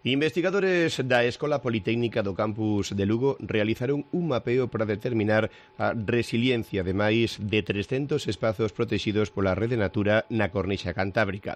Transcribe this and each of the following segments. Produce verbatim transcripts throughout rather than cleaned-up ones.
Investigadores da Escola Politécnica do campus de Lugo realizaron un mapeo para determinar a resiliencia de máis de trescentos espazos protegidos pola Rede Natura na Cornixa Cantábrica.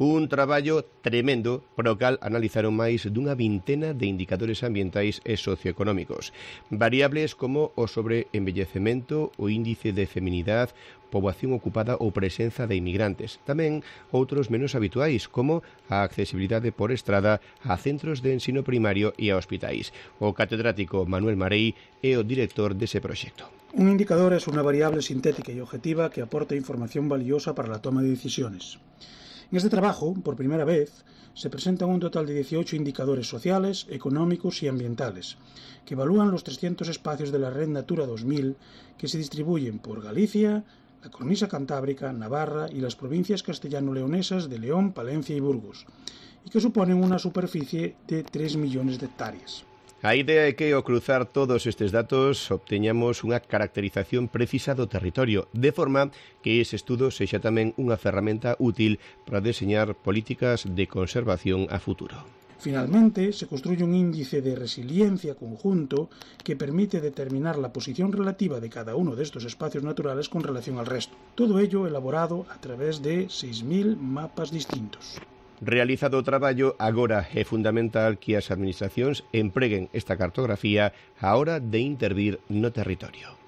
Un traballo tremendo pro cal analizaron máis dunha vintena de indicadores ambientais e socioeconómicos. Variables como o sobreenvellecemento, o índice de feminidade, poboación ocupada ou presenza de inmigrantes. Tamén outros menos habituais, como a accesibilidade por estrada a centros de ensino primario e a hospitais. O catedrático Manuel Marei é o director dese proxecto. Un indicador es una variable sintética y objetiva que aporta información valiosa para la toma de decisiones. En este trabajo, por primera vez, se presentan un total de dieciocho indicadores sociales, económicos y ambientales, que evalúan los trescientos espacios de la Red Natura dos mil que se distribuyen por Galicia, la Cornisa Cantábrica, Navarra y las provincias castellano-leonesas de León, Palencia y Burgos, y que suponen una superficie de tres millones de hectáreas. A idea é que ao cruzar todos estes datos obteñamos unha caracterización precisa do territorio, de forma que ese estudo sexa tamén unha ferramenta útil para deseñar políticas de conservación a futuro. Finalmente, se construye un índice de resiliencia conjunto que permite determinar la posición relativa de cada uno de estos espacios naturales con relación al resto. Todo ello elaborado a través de seis mil mapas distintos. Realizado o traballo, agora é fundamental que as administracións empreguen esta cartografía á hora de intervir no territorio.